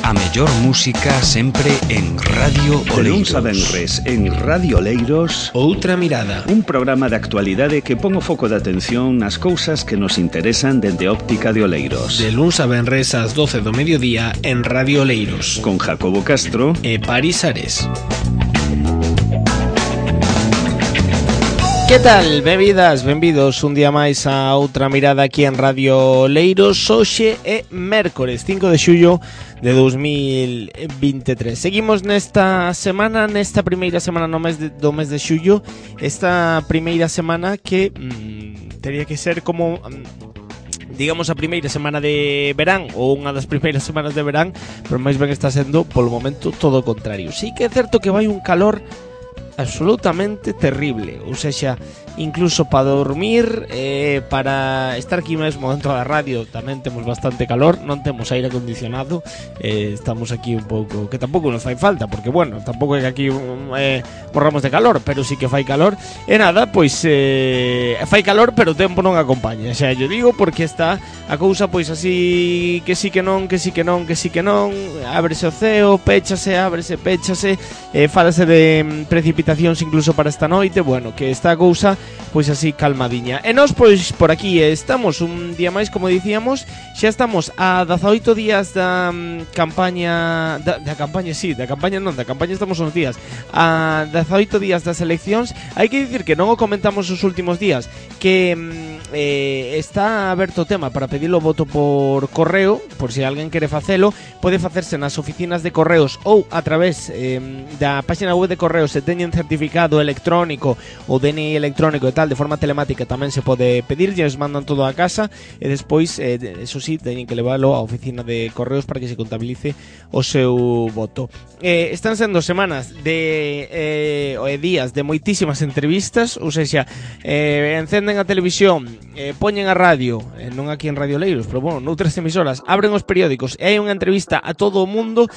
A mellor música sempre en Radio Oleiros. De luns a venres en Radio Oleiros. Outra mirada. Un programa de actualidade que pon o foco de atención nas cousas que nos interesan dende Óptica de Oleiros. De luns a venres ás 12 do mediodía en Radio Oleiros. Con Jacobo Castro e Paris Ares. Que tal, benvidas, benvidos un día máis a outra mirada aquí en Radio Oleiros. Hoxe é mércores 5 de xullo de 2023. Seguimos nesta semana, nesta primeira semana do mes de xullo. Esta primeira semana que teria que ser como digamos a primeira semana de verán ou unha das primeiras semanas de verán, pero máis ben está sendo polo momento todo o contrario. Sí que é certo que vai un calor absolutamente terrible, ou seja, incluso para dormir, para estar aquí mesmo dentro da radio tamén temos bastante calor, non temos aire acondicionado, estamos aquí un pouco, que tampouco nos fai falta, porque bueno, tampouco é que aquí morramos de calor, pero sí que fai calor, e nada, pois fai calor, pero o tempo non acompaña, xa yo digo, porque está a cousa pois así, que sí que non, que sí que non, que sí que non, ábrese o ceo, péchase, ábrese, péchase, fálase de precipitacións incluso para esta noite, bueno, que esta cousa pois así calmadiña. E nós pois por aquí estamos un día máis, como dicíamos, xa estamos a 18 días da campaña da campaña estamos uns días a 18 días das eleccións. Hai que dicir que non o comentamos os últimos días, que está aberto o tema para pedir o voto por correo, por se alguén quere facelo, pode facerse nas oficinas de correos ou a través da página web de correos, se teñen certificado electrónico ou DNI electrónico e tal, de forma telemática tamén se pode pedir, e os mandan todo a casa e despois, eso sí, teñen que leválo á oficina de correos para que se contabilice o seu voto. Están sendo semanas de días de moitísimas entrevistas, ou seja, encenden a televisión, poñen a radio, non aquí en Radio Oleiros, pero bueno, noutras emisoras, abren os periódicos e hai unha entrevista a todo o mundo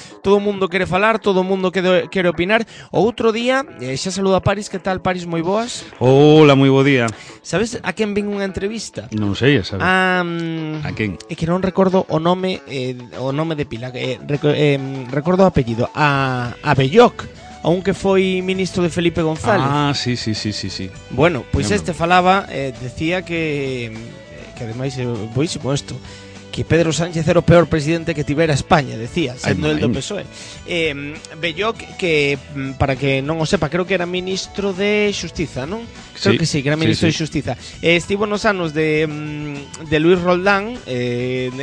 quere falar, todo o mundo quere opinar. O outro día, xa saluda a Paris, que tal, Paris, moi boas? Hola, moi bo día. Sabes a quen vin unha entrevista? Non sei, a saber. A quen? É que non recordo o nome de pila, recordo o apellido, a Belloc, aunque foi ministro de Felipe González. Ah, sí. Bueno, pois este falaba, decía que ademais é boísimo isto, que Pedro Sánchez era o peor presidente que tivera España, decía, sendo el do PSOE. Belloc, que para que non o sepa, creo que era ministro de Xustiza, non? Creo que sí, que era ministro de Xustiza. Estivo nos anos de Luis Roldán,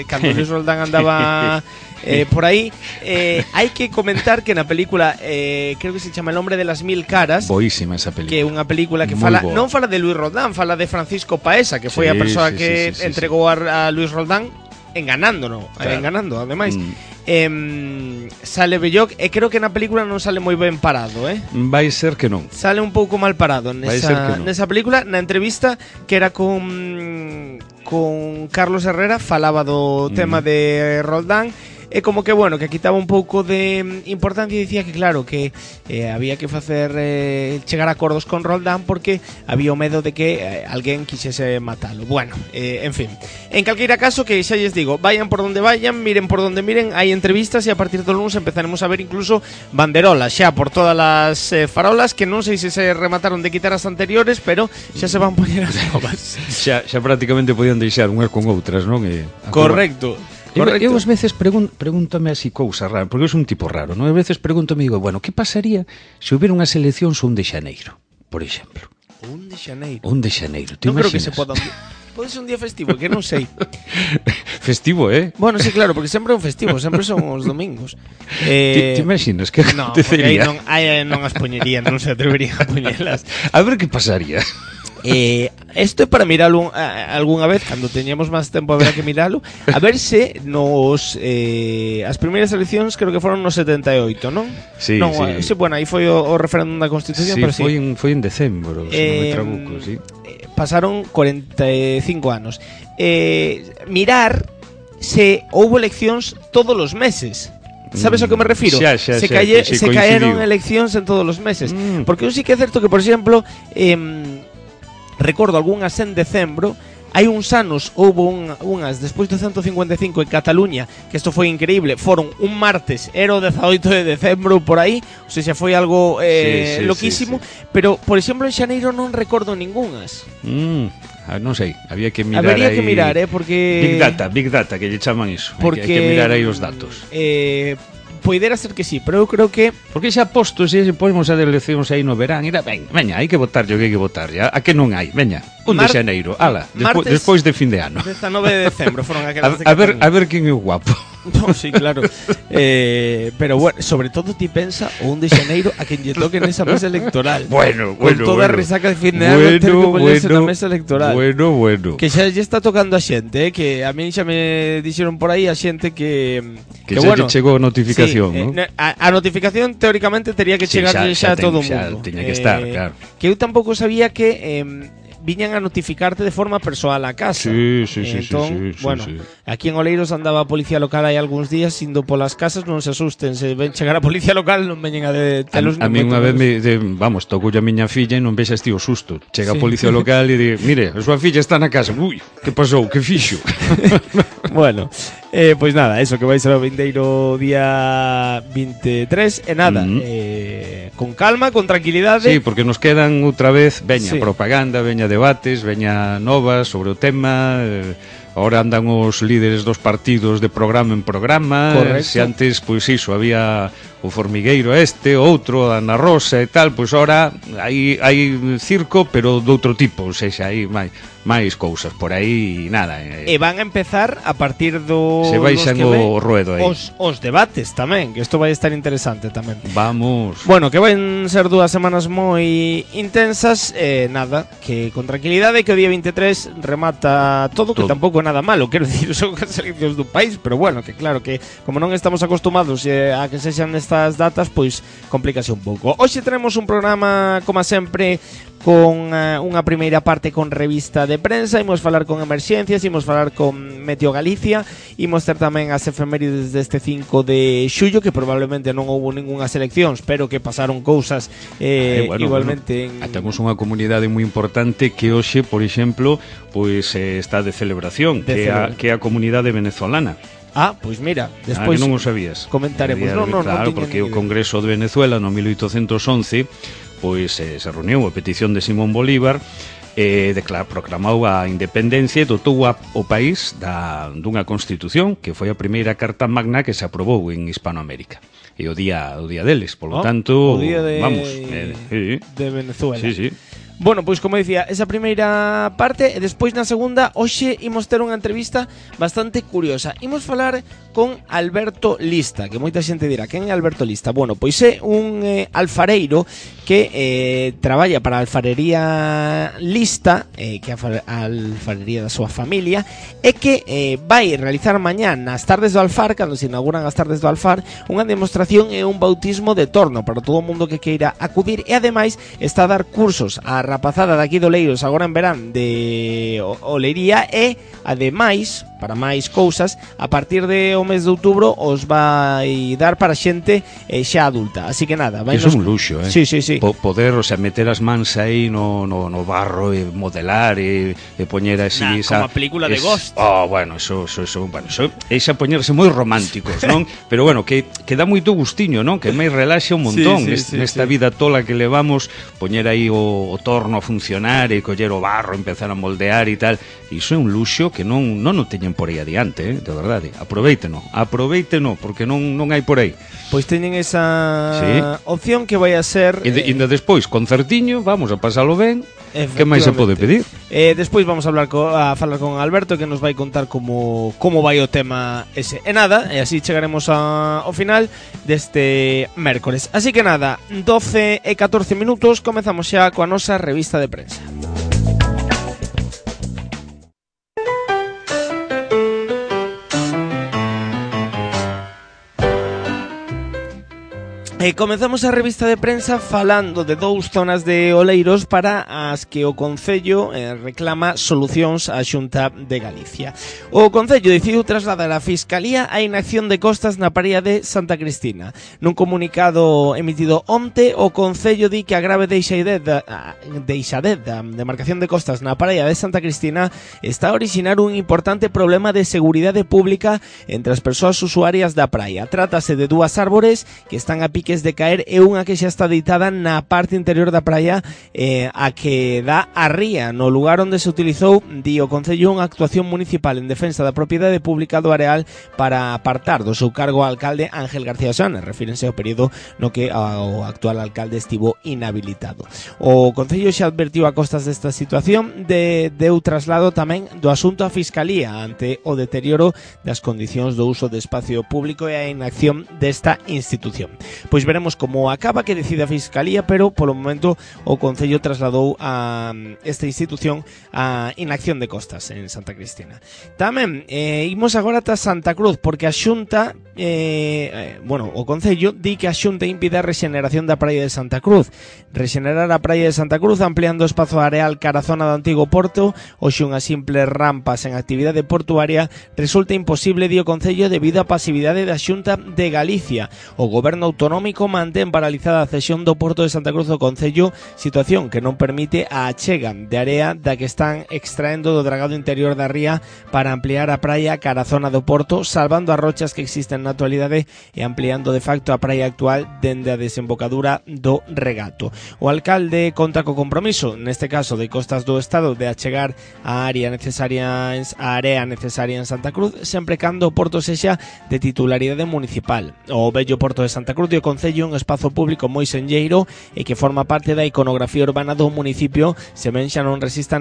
cando Luis Roldán andaba por aí. Hai que comentar que na película, creo que se chama El hombre de las mil caras, boísima esa película, que é unha película que fala, non fala de Luis Roldán, fala de Francisco Paesa, que foi a persoa que entregou a Luis Roldán enganando ademais. Sale Belloc e creo que na película non sale moi ben parado, vai ser que non. Sale un pouco mal parado nesa película. Na entrevista que era con Carlos Herrera, falaba do tema de Roldán. É como que, bueno, que quitaba un pouco de importancia e dicía que, claro, que había que facer chegar a acordos con Roldán porque había o medo de que alguén quixese matalo. Bueno, en fin, en calqueira caso, que xa lles digo, vayan por donde vayan, miren por donde miren, hai entrevistas e a partir do lunes empezaremos a ver incluso banderolas xa por todas as farolas, que non sei se remataron de quitar as anteriores, pero xa se van poñer as novas. Xa prácticamente podían deixar unhas con outras, non? Correcto. Eu ás veces pregúntame así cousas raras, porque eu sou un tipo raro, non? Ás veces pregúntame e digo, bueno, que pasaría se houbera unhas eleccións un de xaneiro, por exemplo? Un de xaneiro? Un de xaneiro, te non imaginas? Creo que se poda pode ser un día festivo, que non sei. Festivo, Bueno, sí, claro, porque sempre é un festivo, sempre son os domingos. Te imaginas que non, porque aí non as poñerían, non se atreverían a poñelas. A ver que pasaría. Isto é para miralo algunha vez, cando teñamos máis tempo haberá que miralo, a ver se nos as primeiras eleccións creo que foron no 78, non? Sí, non, sí. Bueno, aí foi o referéndum da Constitución, sí, pero sí. Foi en decembro, se non me trabuco, sí. Pasaron 45 anos. Mirar se houbo eleccións todos os meses. Sabes ao que me refiro? Se caeron eleccións en todos os meses. Porque eu sí que é certo que, por exemplo, recordo algunhas en decembro Hai uns anos houve unhas despois do 155 en Cataluña, que isto foi increíble, foron un martes, era o 18 de decembro por aí, ou seja, foi algo loquísimo, pero, por exemplo, en xaneiro non recordo ningunhas. Non sei, había que mirar. Habería aí... que mirar, porque... Big Data, que lle chaman iso. Porque... Hai que mirar aí os datos. Poidera ser que sí, pero eu creo que... Porque xa postos, se ponemos a eleccións aí no verán, veña, hai que votar, hai que votar, ya. A que non hai, veña, de xaneiro, ala, despois de fin de ano. 19 de decembro foron aquelas de Cataluña. A ver quen é o guapo. No, sí, claro. Pero bueno, sobre todo ti pensa o 1 de xaneiro a quen lle toque nesa mesa electoral. Bueno. Con toda a resaca de fin de ano ter que poñerse na mesa electoral. Bueno. Que xa lle está tocando a xente, que a min xa me dixeron por aí a xente que xa lle chegou a notificación, sí, ¿no? A notificación teóricamente tería que chegar xa a todo o mundo. Xa tiña que estar, claro. Que eu tampouco sabía que viñan a notificarte de forma persoal a casa. Sí. Bueno, aquí en Oleiros andaba a policía local hai algúns días indo polas casas, non se asusten, se ven chegar a policía local non veñen a detelos. A mí unha vez tocou a miña filla e non vexas ti o susto. Chega a policía local e di, mire, a súa filla está na casa. Ui, que pasou? Que fixo? Bueno, pois nada, eso que vai ser o vindeiro día 23 e nada, con calma, con tranquilidade. Sí, porque nos quedan outra vez, veña sí. Propaganda, veña debates, veña novas sobre o tema. Ahora andan os líderes dos partidos de programa en programa. Correcto. Se antes, pois iso, había o formigueiro outro, a Ana Rosa e tal, pois ahora hai circo, pero de outro tipo, ou seja, hai máis cousas por aí e nada. E van a empezar a partir do... Se baixan o ruedo aí. Os debates tamén, que isto vai estar interesante tamén. Vamos. Bueno, que van ser 2 semanas moi intensas, nada, que con tranquilidade, que o día 23 remata todo, que tampouco é nada malo, quero dicir, son as eleccións do país, pero bueno, que claro que como non estamos acostumados a que sexan estas datas, pois complícase un pouco. Hoxe tenemos un programa, como sempre, con unha primeira parte con revista de prensa, imos falar con emerxencias, imos falar con Meteo Galicia, imos ter tamén as efemérides deste 5 de xullo, que probablemente non houve ningunhas eleccións, pero que pasaron cousas igualmente. Temos unha comunidade moi importante que hoxe, por exemplo, pois está de celebración, que é a comunidade venezolana. Pois mira, despois non o sabías. Comentaremos. Claro, porque o Congreso de Venezuela no 1811 pois se reuniu a petición de Simón Bolívar proclamou a independencia e dotou o país dunha constitución que foi a primeira carta magna que se aprobou en Hispanoamérica. E o día deles, polo tanto, o día de Venezuela. Sí. Bueno, pois como dicía, esa primeira parte e despois na segunda, hoxe imos ter unha entrevista bastante curiosa. Imos falar con Alberto Lista, que moita xente dirá, quen é Alberto Lista? Bueno, pois é un alfareiro que traballa para a alfarería Lista, que é a alfarería da súa familia, e que vai realizar mañá nas tardes do Alfar, cando se inauguran as tardes do Alfar, unha demostración e un bautismo de torno para todo o mundo que queira acudir, e ademais está a dar cursos a rapazada daqui do Leiros agora en verán de olería e ademais, para máis cousas, a partir de o mes de outubro os vai dar para xente xa adulta, así que nada, iso é un luxo, Sí. Poder, o sea, meter as mans aí no barro e modelar e poñer así como a película de Ghost. Bueno, eso é xa poñerse moi románticos, non? Pero bueno, que dá moito gustiño, non? Que máis relaxa un montón nesta vida tola que levamos, poñer aí o torno a funcionar e coller o barro, empezar a moldear e tal. Iso é un luxo que non o teñen por aí adiante, de verdade. Aproveíteno, porque non hai por aí. Pois teñen esa opción que vai a ser... E despois, concertiño, vamos a pasalo ben. Que máis se pode pedir? Despois vamos a falar con Alberto, que nos vai contar como vai o tema ese. E nada, e así chegaremos ao final deste mércores. Así que nada, 12 e 14 minutos, comezamos xa coa nosa revista de prensa. Comezamos a revista de prensa falando de dous zonas de Oleiros para as que o Concello reclama solucións á Xunta de Galicia. O Concello decidiu trasladar á Fiscalía a inacción de costas na praia de Santa Cristina. Nun comunicado emitido onte, o Concello di que a grave deixadez da demarcación de costas na praia de Santa Cristina está a orixinar un importante problema de seguridade pública entre as persoas usuarias da praia. Trátase de dúas árbores que están a pique de caer e unha que xa está deitada na parte interior da praia a que dá a ría. No lugar onde se utilizou, di o Concello, unha actuación municipal en defensa da propiedade pública do areal para apartar do seu cargo ao alcalde Ángel García Sánchez. Refírense ao período no que o actual alcalde estivo inhabilitado. O Concello xa advertiu a costas desta situación, deu traslado tamén do asunto á Fiscalía ante o deterioro das condicións do uso de espacio público e a inacción desta institución. Pois veremos como acaba, que decide a Fiscalía, pero polo momento o Concello trasladou a esta institución a inacción de costas en Santa Cristina. Tamén imos agora ata Santa Cruz, porque a Xunta o Concello di que a Xunta impide a rexeneración da praia de Santa Cruz. Rexenerar a praia de Santa Cruz ampliando o espazo areal cara a zona do antigo porto, hoxe unha simple rampa sen actividade portuaria, resulta imposible, di o Concello, debido á pasividade da Xunta de Galicia. O goberno autonómico mantén paralizada a cesión do porto de Santa Cruz ao Concello, situación que non permite a achega de area da que están extraendo do dragado interior da ría para ampliar a praia cara a zona do porto, salvando as rochas que existen na actualidade e ampliando de facto a praia actual dende a desembocadura do regato. O alcalde conta co compromiso, neste caso de Costas do Estado, de achegar a area necesarias en Santa Cruz, sempre cando o porto sexa de titularidade municipal. O vello porto de Santa Cruz e o Concello, un espazo público moi senlleiro e que forma parte da iconografía urbana do municipio, se ben xa non rexistra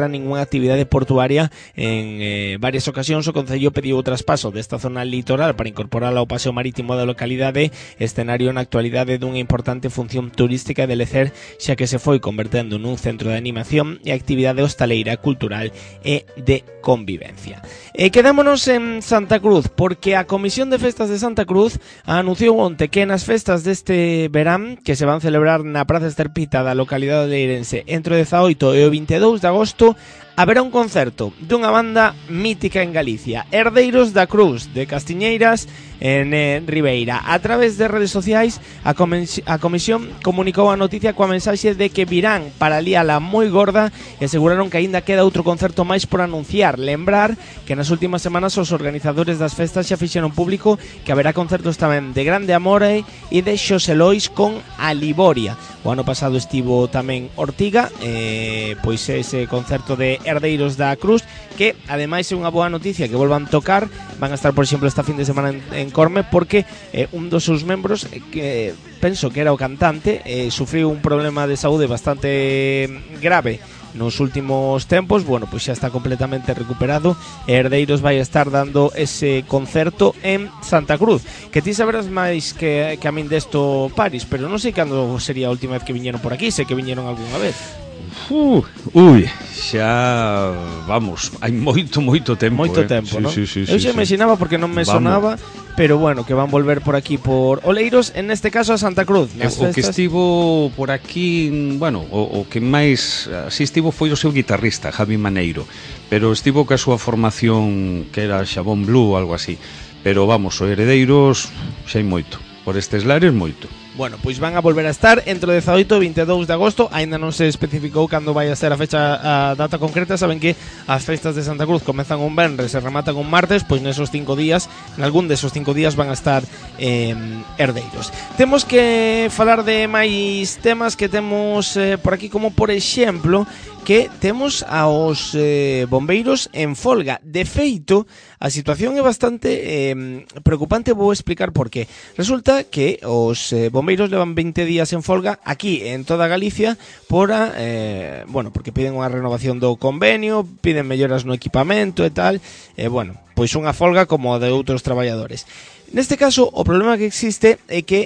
ninguna actividade portuaria. En varias ocasións o Concello pediu o traspaso desta zona litoral para incorporala ao paseo marítimo da localidade, escenario na actualidade dunha importante función turística de lecer, xa que se foi convertendo nun centro de animación e actividade hostaleira, cultural e de convivencia. Quedámonos en Santa Cruz, porque a Comisión de Festas de Santa Cruz anunciou onte que nas festas deste verán, que se van celebrar na Praza Esterpita da localidade leirense entre o 18 e o 22 de agosto, haberá un concerto dunha banda mítica en Galicia, Herdeiros da Cruz, de Castiñeiras, en Ribeira. A través de redes sociais, a Comisión comunicou a noticia coa mensaxe de que virán para liala moi gorda e aseguraron que aínda queda outro concerto máis por anunciar. Lembrar que nas últimas semanas os organizadores das festas xa fixeron público que haberá concertos tamén de Grande Amore e de Xosé Lois con Aliboria. O ano pasado estivo tamén Ortiga, pois ese concerto de Herdeiros da Cruz, que ademais é unha boa noticia que volvan tocar. Van a estar, por exemplo, esta fin de semana en Corme, porque un dos seus membros, que penso que era o cantante, sufriu un problema de saúde bastante grave nos últimos tempos. Bueno, pois xa está completamente recuperado. Herdeiros vai estar dando ese concerto en Santa Cruz, que ti saberás máis que a min desto, Paris, pero non sei cando sería a última vez que viñeron por aquí. Sei que viñeron algunha vez. Xa vamos, hai moito tempo. Moito tempo, sí, non? Sí, eu xa imaginaba, porque non me sonaba, pero bueno, que van volver por aquí por Oleiros, en este caso a Santa Cruz. O que estivo por aquí, bueno, o que máis así estivo foi o seu guitarrista, Javi Maneiro, pero estivo ca súa formación, que era Xabón Blue, algo así. Pero vamos, o Herdeiros xa hai moito, por estes lares moito. Bueno, pois van a volver a estar entre o 18 e 22 de agosto. Aínda non se especificou cando vai a ser a fecha, a data concreta. Saben que as festas de Santa Cruz comezan un venres e rematan un martes. Pois nesos 5 días, nalgún desos 5 días van a estar Herdeiros. Temos que falar de máis temas que temos por aquí, como por exemplo que temos aos bombeiros en folga. De feito, a situación é bastante preocupante. Vou explicar por qué. Resulta que os bombeiros levan 20 días en folga aquí en toda Galicia porque piden unha renovación do convenio, piden melloras no equipamento e tal. Pois unha folga como a de outros traballadores. Neste caso, o problema que existe é que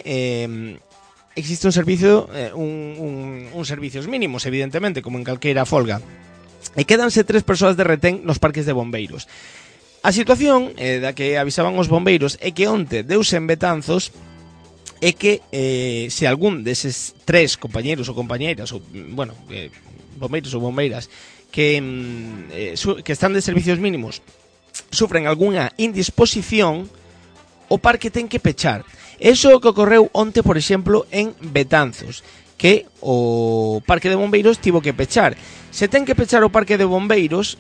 existe un servicio, un servicios mínimos, evidentemente, como en calqueira folga. E quédanse 3 persoas de retén nos parques de bombeiros. A situación da que avisaban os bombeiros é que onte deuse en Betanzos é que se algún deses tres compañeros ou compañeiras ou, bueno, bombeiros ou bombeiras que están de servicios mínimos sufren algunha indisposición, o parque ten que pechar. Eso é o que ocorreu onte, por exemplo, en Betanzos, que o parque de bombeiros tivo que pechar. Se ten que pechar o parque de bombeiros,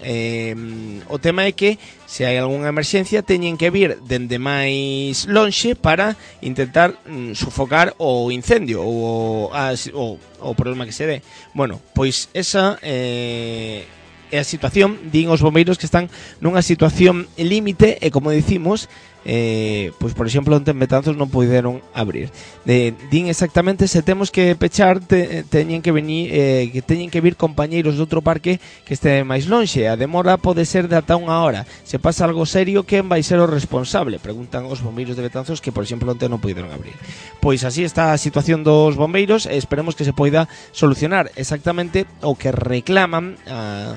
o tema é que se hai algunha emerxencia teñen que vir dende máis lonxe para intentar sufocar o incendio ou o problema que se dé. Bueno, pois esa é a situación, din os bombeiros que están nunha situación límite e, como dicimos, pois por exemplo onte en Betanzos non puderon abrir. Din exactamente se temos que pechar teñen que venir que teñen que vir compañeiros de outro parque que este máis lonxe. A demora pode ser de ata unha hora. Se pasa algo serio, quen vai ser o responsable? Preguntan os bombeiros de Betanzos que por exemplo onte non puderon abrir. Pois así está a situación dos bombeiros e esperemos que se poida solucionar. Exactamente o que reclaman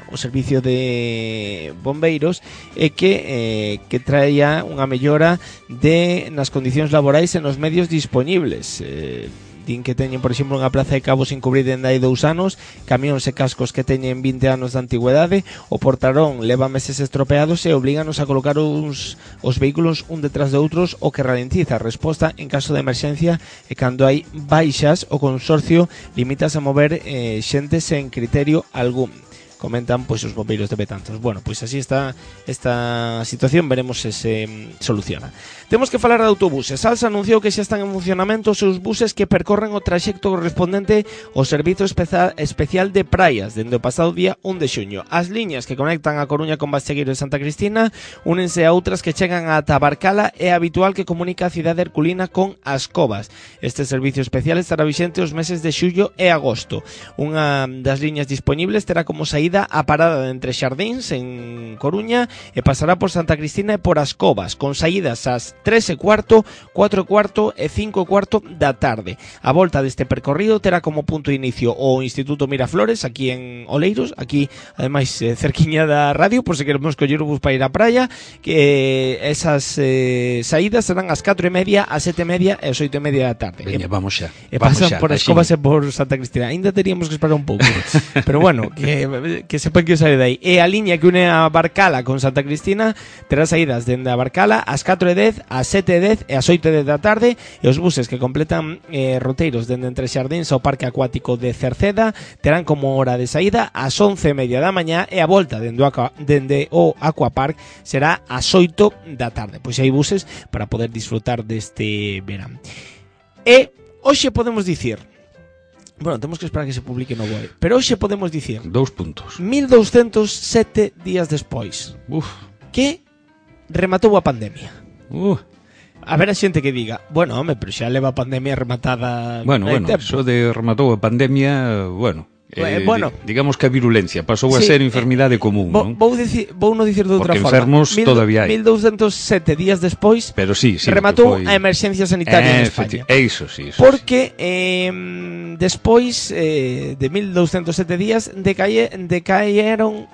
o servicio de bombeiros é que traia unha mellor nas condicións laborais e nos medios dispoñibles. Din que teñen, por exemplo, unha plaza de cabo sin cubrir dende hai 2 anos, camións e cascos que teñen 20 anos de antigüedade, o portarón leva meses estropeados e oblíganos a colocar os vehículos un detrás de outros, o que ralentiza a resposta en caso de emerxencia, e cando hai baixas o consorcio limítase a mover xente sen criterio algún. Comentan pois os bombeiros de Betanzos. Bueno, pois así está esta situación, veremos se se soluciona. Temos que falar de autobuses. Alsa anunciou que xa están en funcionamento os seus buses que percorren o traxecto correspondente ao servizo especial de praias dende o pasado día 1 de xuño. As liñas que conectan a Coruña con Bastegueiro e Santa Cristina únense a outras que chegan a Tabarcala e habitual que comunica a cidade herculina con As Covas. Este servicio especial estará vixente os meses de xullo e agosto. Unha das liñas dispoñibles terá como saída a parada de Entre Xardíns en Coruña e pasará por Santa Cristina e por As Covas, con saídas ás 3:15, 4:15 e 5:15 da tarde. A volta deste percorrido terá como punto de inicio o Instituto Miraflores, aquí en Oleiros, aquí ademais cerquiña da radio, por se queremos coller o bus para ir á praia, que esas saídas serán ás 4:30, ás 7:30 e ás 8:30 da tarde. Veña, vamos xa. E pasan por As Covas e por Santa Cristina. Ainda teríamos que esperar un pouco. Pero bueno, que sepan que sae dai. E a liña que une a Barcala con Santa Cristina terá saídas dende a Barcala ás 4:10, ás 7:10 e ás 8:10 da tarde, e os buses que completan roteiros dende Entre Xardíns ao Parque Acuático de Cerceda terán como hora de saída ás 11:30 da mañá, e a volta dende o Aquapark será ás 8 da tarde. Pois hai buses para poder disfrutar deste verán. E hoxe podemos dicir, bueno, temos que esperar que se publique no BOE, pero hoxe podemos dicir 2 puntos. 1207 días despois que rematou a pandemia. A ver a xente que diga, bueno, home, pero xa leva a pandemia rematada. Bueno, eso de rematou a pandemia, bueno, digamos que a virulencia pasou a ser enfermidade común, non? Vou non dicir de outra porque forma. Enfermos todavía hai. 1207 días despois, pero sí, rematou a emerxencia sanitaria en España. Eso sí. Porque despois de 1207 días decaeron,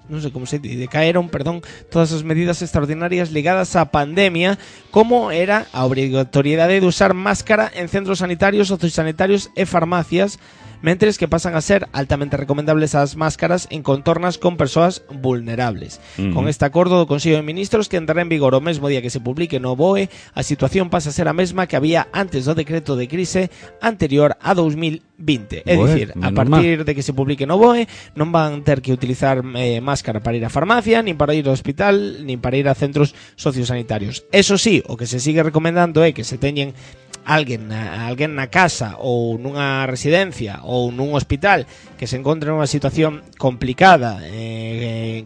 non sei como se di, perdón, todas as medidas extraordinarias ligadas á pandemia, como era a obrigatoriedade de usar máscara en centros sanitarios, sociosanitarios e farmacias, mentres que pasan a ser altamente recomendables as máscaras en contornas con persoas vulnerables. Con este acordo do Consello de Ministros, que entrará en vigor o mesmo día que se publique no BOE, a situación pasa a ser a mesma que había antes do decreto de crise anterior a 2020. É dicir, a partir de que se publique no BOE non van ter que utilizar máscara para ir á farmacia, nin para ir ao hospital, nin para ir a centros sociosanitarios. Eso sí, o que se sigue recomendando é que se teñen alguén na casa ou nunha residencia ou nun hospital que se encontre nunha situación complicada,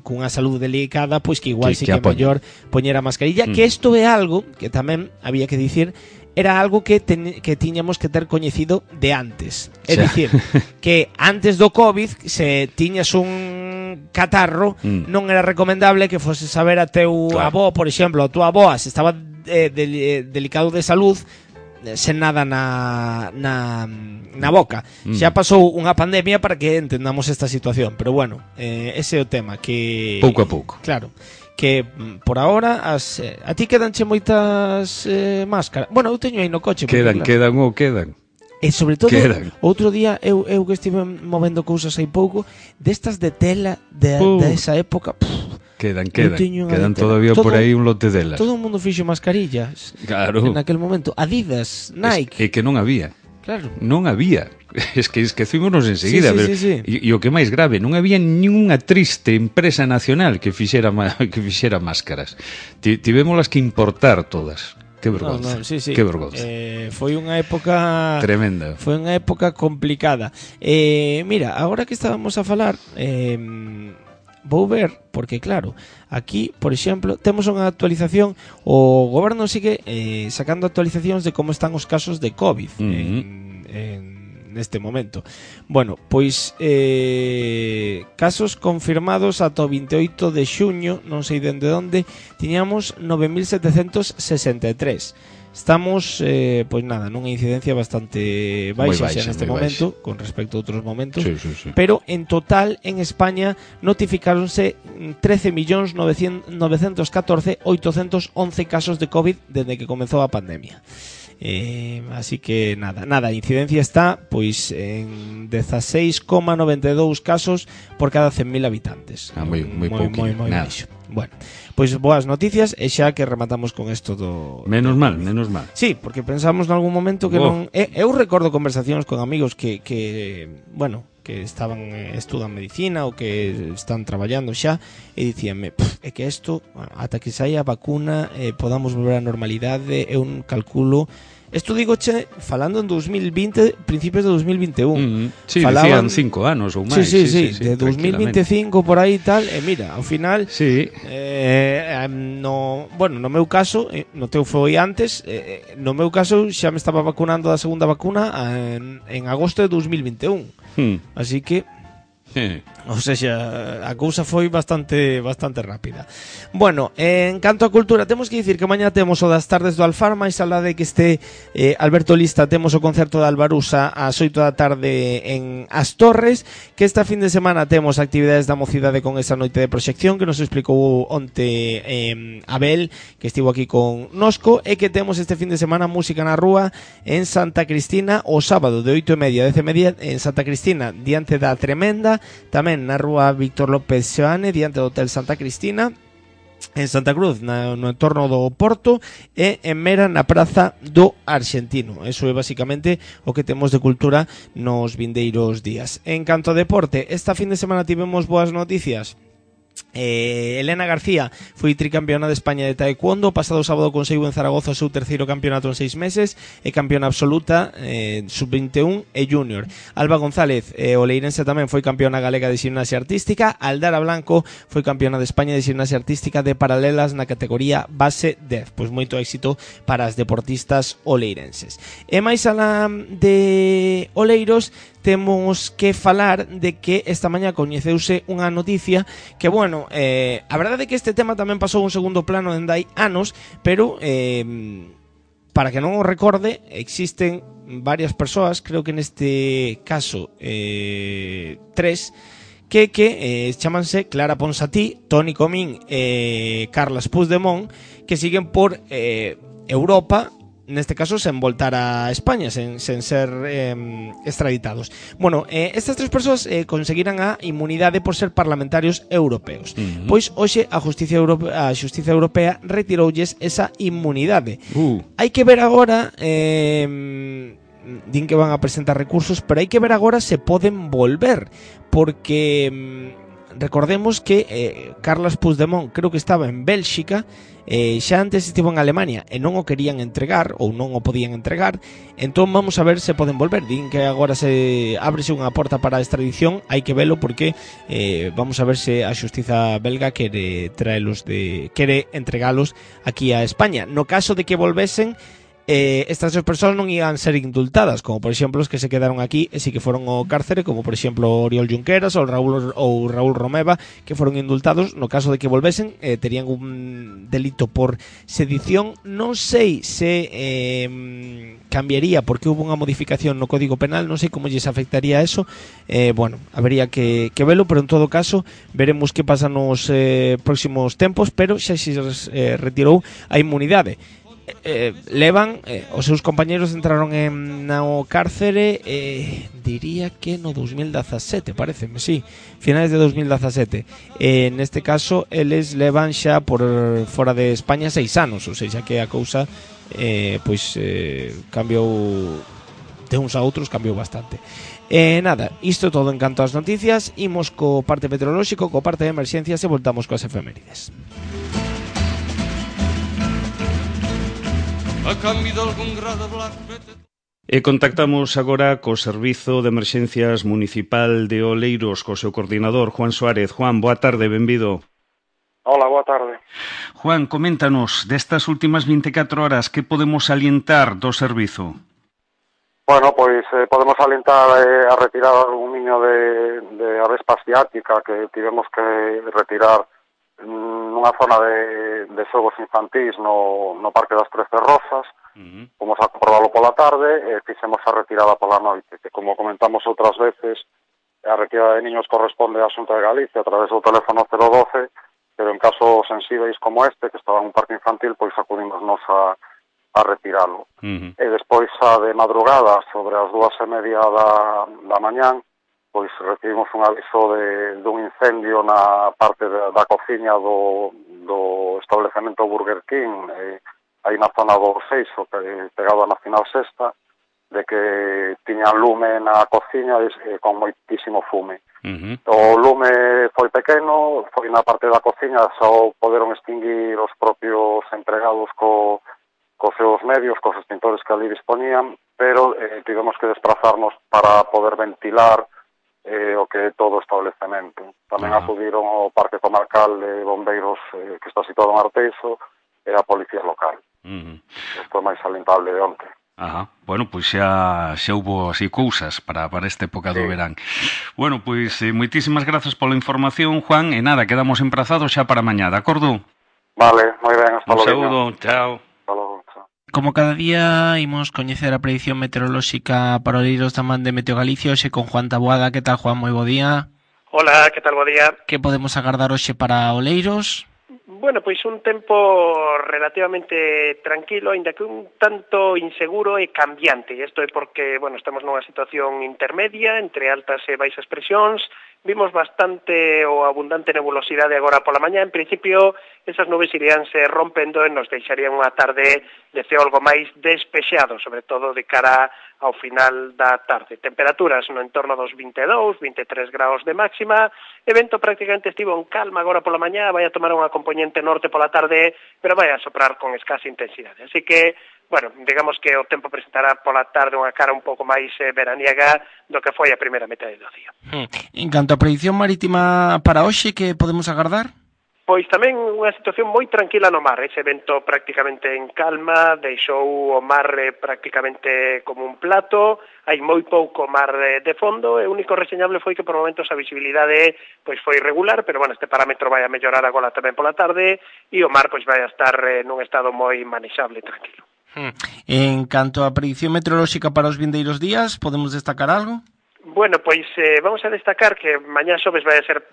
cunha saúde delicada, pois que igual sí que é mellor poñer a mascarilla, que isto é algo que tamén había que dicir, era algo que tiñamos que ter coñecido de antes. É dicir, que antes do COVID, se tiñas un catarro, non era recomendable que foses a ver a teu avó, por exemplo, a tua avó, se estaba delicado de salud, sen nada na boca. Xa pasou unha pandemia para que entendamos esta situación, pero bueno, ese é o tema, que pouco a pouco. Claro, que por ahora a ti quedanche moitas máscaras. Bueno, eu teño aí no coche. Quedan. E sobre todo, quedan. outro día eu que estive movendo cousas aí pouco, destas de tela de esa época. Quedan todavía por aí un lote delas. Todo o mundo fixo mascarillas. Claro. En aquel momento, Adidas, Nike. É que non había. Claro. Non había. Es que esquecímonos enseguida. Sí. E o que máis grave, non había ninguna triste empresa nacional que fixera máscaras. Tivémolas que importar todas. Que vergonza. No, sí. Que vergonza. Foi unha época tremenda. Foi unha época complicada. Mira, agora que estábamos a falar, vou ver, porque claro, aquí, por exemplo, temos unha actualización, o goberno sigue sacando actualizacións de como están os casos de COVID neste momento. Bueno, pois casos confirmados ata o 28 de xuño, non sei dende onde, tiñamos 9.763. Estamos, pois nada, nunha incidencia bastante baixa xa neste momento, con respecto a outros momentos, sí. Pero en total en España notificáronse 13.914.811 casos de COVID desde que comezou a pandemia. Así que nada, a incidencia está pois en 16,92 casos por cada 100.000 habitantes. Moi baixo. Bueno, pois boas noticias e xa que rematamos con isto do... Menos mal. Sí, porque pensamos en algún momento que non... Eu recordo conversacións con amigos que bueno, que estaban estudan medicina ou que están traballando xa e dicíanme, é que isto ata que saia a vacuna podamos volver á normalidade, eu calculo. Isto digoche falando en 2020, principios de 2021. Sí, falaban, decían 5 anos ou máis. Sí, de 2025 por aí e tal, e mira, ao final no meu caso, no teu foi antes, no meu caso xa me estaba vacunando da segunda vacuna en agosto de 2021. Así que o sea, a cousa foi bastante rápida. Bueno, en canto a cultura, temos que dicir que mañá temos o das tardes do Alfar, máis alá de que este Alberto Lista, temos o concerto de Albarusa ás 8 da tarde en As Torres, que esta fin de semana temos actividades da mocidade con esa noite de proxección que nos explicou onte Abel, que estivo aquí con Nosco, e que temos este fin de semana música na rúa en Santa Cristina o sábado de 8:30 a 10:30 en Santa Cristina, diante da Tremenda, tamén na rúa Víctor López Xoane, diante do Hotel Santa Cristina, en Santa Cruz, no entorno do Porto, e en Mera, na Praza do Arxentino. Eso é basicamente o que temos de cultura nos vindeiros días. En canto a deporte, esta fin de semana tivemos boas noticias. Elena García foi tricampeona de España de taekwondo. Pasado sábado conseguiu en Zaragoza o seu terceiro campeonato en 6 meses e campeona absoluta sub-21 e junior. Alba González, o leirense, tamén foi campeona galega de gimnasia artística. Aldara Blanco foi campeona de España de gimnasia artística de paralelas na categoría base 10. Pois moito éxito para as deportistas oleirenses. E máis alá de Oleiros, temos que falar de que esta mañá coñeceuse unha noticia que, bueno, a verdade é que este tema tamén pasou un segundo plano dende hai anos, pero para que non o recorde, existen varias persoas, creo que neste caso 3, que chamanse Clara Ponsatí, Toni Comín e Carles Puigdemont, que siguen por Europa, neste caso sen voltar a España, sen ser extraditados. Bueno, estas 3 persoas conseguiran a inmunidade por ser parlamentarios europeos. Pois hoxe a Xustiza Europea retiroulles esa inmunidade. Hai que ver agora, din que van a presentar recursos, pero hai que ver agora se poden volver, porque recordemos que Carles Puigdemont creo que estaba en Bélxica, xa antes estivo en Alemania e non o querían entregar ou non o podían entregar. Entón vamos a ver se poden volver. Din que agora se ábrese unha porta para a extradición. Hai que velo porque vamos a ver se a xustiza belga quere entregalos aquí a España. No caso de que volvesen, estas dos persoas non iban ser indultadas, como por exemplo os que se quedaron aquí e si que foron ao cárcere, como por exemplo Oriol Junqueras ou Raúl Romeva, que foron indultados. No caso de que volvesen, terían un delito por sedición. Non sei se cambiaría porque hubo unha modificación no Código Penal, non sei como lles afectaría eso. Bueno, habría que velo, pero en todo caso veremos que pasa nos próximos tempos, pero xa se retirou a inmunidade. Levan, os seus compañeros entraron no cárcere, diría que no 2017, pareceme, sí, finales de 2017. Neste caso, eles levan xa por fora de España 6 anos, ou seja, que a cousa cambiou de uns a outros, cambiou bastante. Nada, isto todo en canto ás noticias. Imos co parte meteorolóxico, co parte de emerxencias e voltamos coas efemérides. A cambio de algún grado blanco. E contactamos agora co Servizo de Emerxencias Municipal de Oleiros, co seu coordinador, Juan Suárez. Juan, boa tarde, benvido. Hola, boa tarde. Juan, coméntanos, destas últimas 24 horas, que podemos salientar do servizo? Bueno, pois podemos salientar a retirada dun niño de avespa asiática que tivemos que retirar nunha zona de xogos infantís no Parque das 13 Rosas. Fomos a comprobalo pola tarde e fixemos a retirada pola noite, que como comentamos outras veces, a retirada de niños corresponde á Xunta de Galicia a través do teléfono 012, pero en casos sensíveis como este, que estaba en un parque infantil, pois acudimos nos a retiralo. E despois a de madrugada, sobre as 2:30 da mañán, pois recibimos un aviso dun incendio na parte da cociña do establecemento Burger King, aí na zona do Seixo, pegado a Nacional Sexta, de que tiñan lume na cociña con moitísimo fume. O lume foi pequeno, foi na parte da cociña, só poderon extinguir os propios empregados cos seus medios, cos extintores que ali disponían, pero tivemos que desplazarnos para poder ventilar o que é todo o establecemento. Tamén acudiron ao Parque Comarcal de Bombeiros que está situado en Arteixo e a Policía Local. Isto é máis salientable de onte. Bueno, pois xa houbo así cousas para esta época do verán. Bueno, pois moitísimas grazas pola información, Juan, e nada, quedamos emprazados xa para mañá, de acordo? Vale, moi ben, hasta logo. Un saúdo, chao. Hasta logo. Como cada día, imos coñecer a predicción meteorolóxica para Oleiros da man de Meteo Galicia, hoxe con Juan Taboada. Que tal, Juan? Moi bo día. Hola, que tal, bo día. Que podemos agardar hoxe para Oleiros? Bueno, pois un tempo relativamente tranquilo, aínda que un tanto inseguro e cambiante. Isto é porque, bueno, estamos nunha situación intermedia entre altas e baixas presións. Vimos bastante ou abundante nebulosidade agora pola mañá. En principio, esas nubes iríanse rompendo e nos deixarían unha tarde de ceo algo máis despexado, sobre todo de cara ao final da tarde. Temperaturas no entorno dos 22, 23 graus de máxima. Evento prácticamente estivo en calma agora pola mañá, vai a tomar unha componente norte pola tarde, pero vai a soprar con escasa intensidade. Así que, bueno, digamos que o tempo presentará pola tarde unha cara un pouco máis veraniega do que foi a primeira metade do día. En canto a predicción marítima para hoxe, que podemos agardar? Pois tamén unha situación moi tranquila no mar. Ese vento prácticamente en calma, deixou o mar prácticamente como un plato, hai moi pouco mar de fondo, e o único reseñable foi que por momentos a visibilidade pois foi irregular, pero bueno, este parámetro vai a mellorar agora tamén pola tarde, e o mar pois vai a estar nun estado moi manexable e tranquilo. En canto a predicción meteorolóxica para os vindeiros días, podemos destacar algo? Bueno, pois vamos a destacar que mañá xoves vai a ser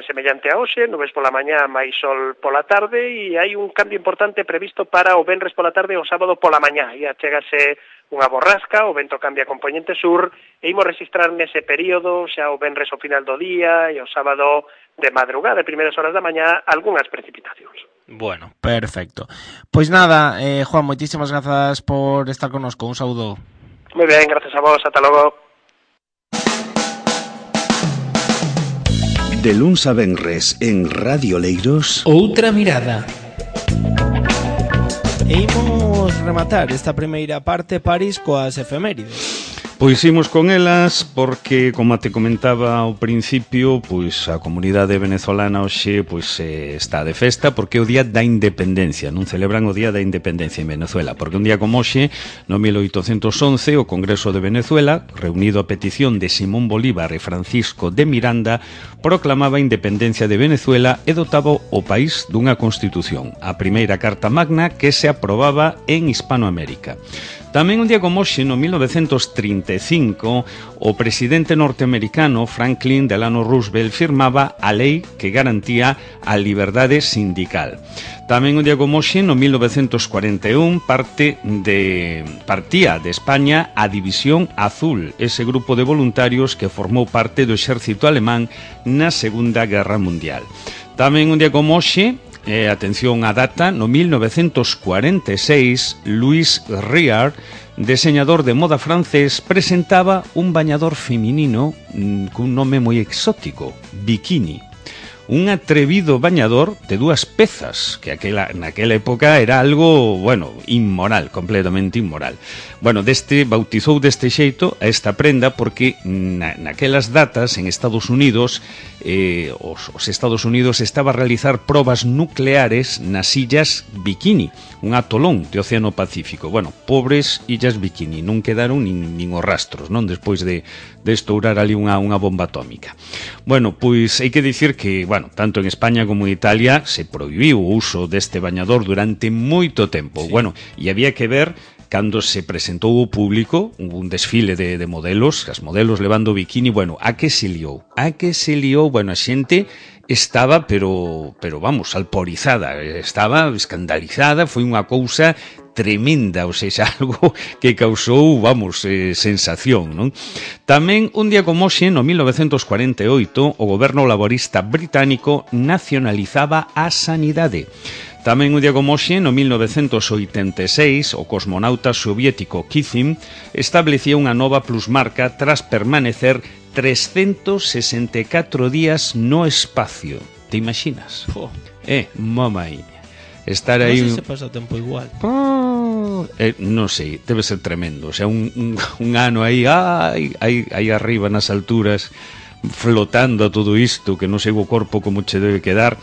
semellante a hoxe, nubes pola mañá, máis sol pola tarde, e hai un cambio importante previsto para o venres pola tarde e o sábado pola mañá. E achégase unha borrasca, o vento cambia a componente sur, e imos registrar nese período, xa o venres ao final do día e o sábado de madrugada, primeiras horas da mañá, algunhas precipitacións. Bueno, perfecto. Pois nada, Juan, moitísimas grazas por estar connosco. Un saúdo. Moi ben, gracias a vos, ata logo. De luns a venres en Radio Oleiros, Outra mirada. E imos rematar esta primeira parte, París, coas efemérides. Pois imos con elas porque, como te comentaba ao principio, pois a comunidade venezolana hoxe pois está de festa porque é o día da independencia, non celebran o día da independencia en Venezuela, porque un día como hoxe, no 1811, o Congreso de Venezuela, reunido a petición de Simón Bolívar e Francisco de Miranda, proclamaba a independencia de Venezuela e dotaba o país dunha constitución, a primeira carta magna que se aprobaba en Hispanoamérica. Tamén un día como hoxe, no 1935, o presidente norteamericano Franklin Delano Roosevelt firmaba a lei que garantía a liberdade sindical. Tamén un día como hoxe, no 1941, partía de España a División Azul, ese grupo de voluntarios que formou parte do exército alemán na Segunda Guerra Mundial. Tamén un día como hoxe, atención á data, no 1946, Louis Réard, diseñador de moda francés, presentaba un bañador feminino cun nome moi exótico, Bikini. Un atrevido bañador de dúas pezas, que naquela época era algo, bueno, inmoral, completamente inmoral. Bueno, bautizou deste xeito a esta prenda porque naquelas datas en Estados Unidos os Estados Unidos estaba a realizar probas nucleares nas illas Bikini, un atolón de Océano Pacífico. Bueno, pobres illas Bikini, non quedaron nin os rastros, non? Despois de estourar ali unha bomba atómica. Bueno, pois hai que dicir que, bueno, tanto en España como en Italia se prohibiu o uso deste bañador durante moito tempo. Sí. Bueno, e había que ver cando se presentou ao público un desfile de modelos, as modelos levando bikini, bueno, a que se liou, bueno, a xente estaba, pero vamos, alporizada, estaba escandalizada, foi unha cousa tremenda, ou seja, algo que causou, vamos, sensación, non? Tamén, un día como hoxe, no 1948, o goberno laborista británico nacionalizaba a sanidade. Tamén un día como hoxe, no 1986, o cosmonauta soviético Kizim establecía unha nova plusmarca tras permanecer 364 días no espacio. Te imaginas? Mamai. Estar aí... Non sei se pasa o tempo igual. Non sei, debe ser tremendo. O sea, un ano aí arriba nas alturas, flotando a todo isto, que non sei o corpo como che debe quedar.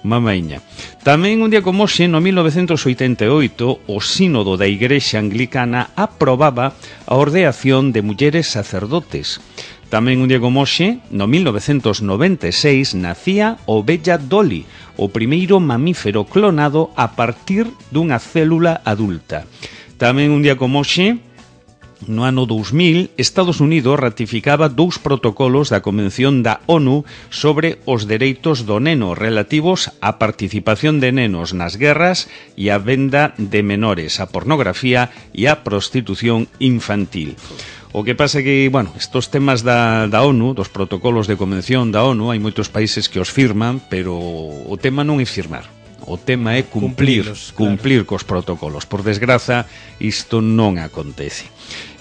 Mamaiña. Tamén un día como hoxe, no 1988, o sínodo da Igrexa Anglicana aprobaba a ordeación de mulleres sacerdotes. Tamén un día como hoxe, no 1996, nacía o Bella Dolly, o primeiro mamífero clonado a partir dunha célula adulta. Tamén un día como hoxe, no ano 2000, Estados Unidos ratificaba 2 protocolos da Convención da ONU sobre os dereitos do neno relativos á participación de nenos nas guerras e a venda de menores, a pornografía e a prostitución infantil. O que pasa que, bueno, estos temas da ONU, dos protocolos de convención da ONU, hai moitos países que os firman, pero o tema non é firmar. O tema é cumplir cos protocolos. Por desgraza, isto non acontece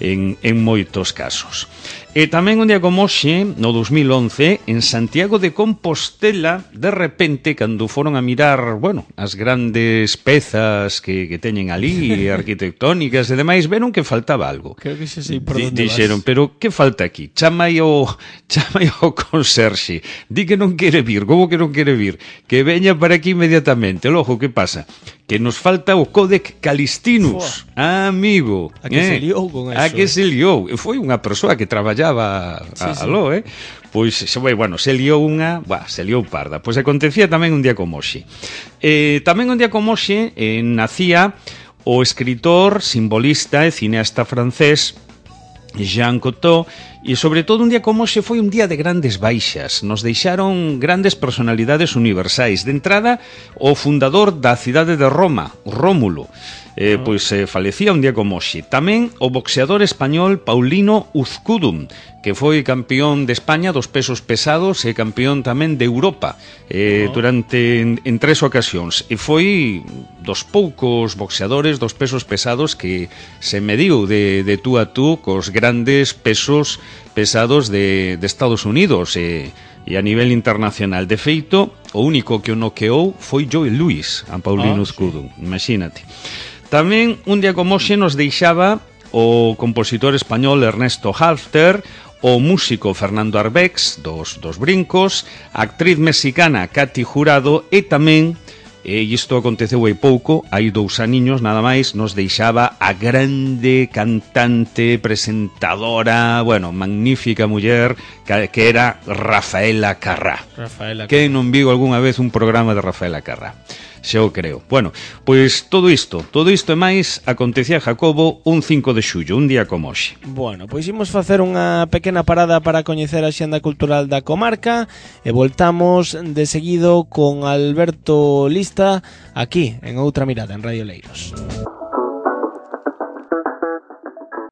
en moitos casos. E tamén un día como hoxe, no 2011, en Santiago de Compostela, de repente, cando foron a mirar, bueno, as grandes pezas que teñen ali, arquitectónicas e demais, veron que faltaba algo. Creo que xe sei por onde dixeron, pero que falta aquí? Chamai o conserxe. Di que non quere vir. Como que non quere vir? Que veña para aquí inmediatamente. Logo, que pasa? Que nos falta o Códex Calistinus. Amigo. A que se liou con eso. A que se liou. Foi unha persoa que traballaba aló, Pois, bueno, se liou parda. Pois acontecía tamén un día como hoxe. Tamén un día como hoxe nacía o escritor, simbolista e cineasta francés Jean Cocteau, e sobre todo un día como hoxe foi un día de grandes baixas. Nos deixaron grandes personalidades universais. De entrada, o fundador da cidade de Roma, Rómulo, falecía un día como hoxe. Tamén o boxeador español Paulino Uzcudum, que foi campeón de España dos pesos pesados e campeón tamén de Europa durante en 3 ocasións, e foi dos poucos boxeadores dos pesos pesados que se mediu de tú a tú cos grandes pesos pesados de Estados Unidos e a nivel internacional. De feito, o único que o noqueou foi Joe Louis, a Paulino Uzcudum, imagínate. Tamén un día como hoxe nos deixaba o compositor español Ernesto Halfter, o músico Fernando Arbex, dos Brincos, a actriz mexicana Katy Jurado e tamén, e isto aconteceu hai pouco, hai 2 aniños nada máis, nos deixaba a grande cantante, presentadora, bueno, magnífica muller que era Rafaela Carrá. Que non viu algunha vez un programa de Rafaela Carrá? Xa o creo. Bueno, pois todo isto e máis acontecía Jacobo un 5 de xullo, un día como hoxe. Bueno, pois imos facer unha pequena parada para coñecer a xenda cultural da comarca e voltamos de seguido con Alberto Lista aquí en Outra Mirada en Radio Leiros.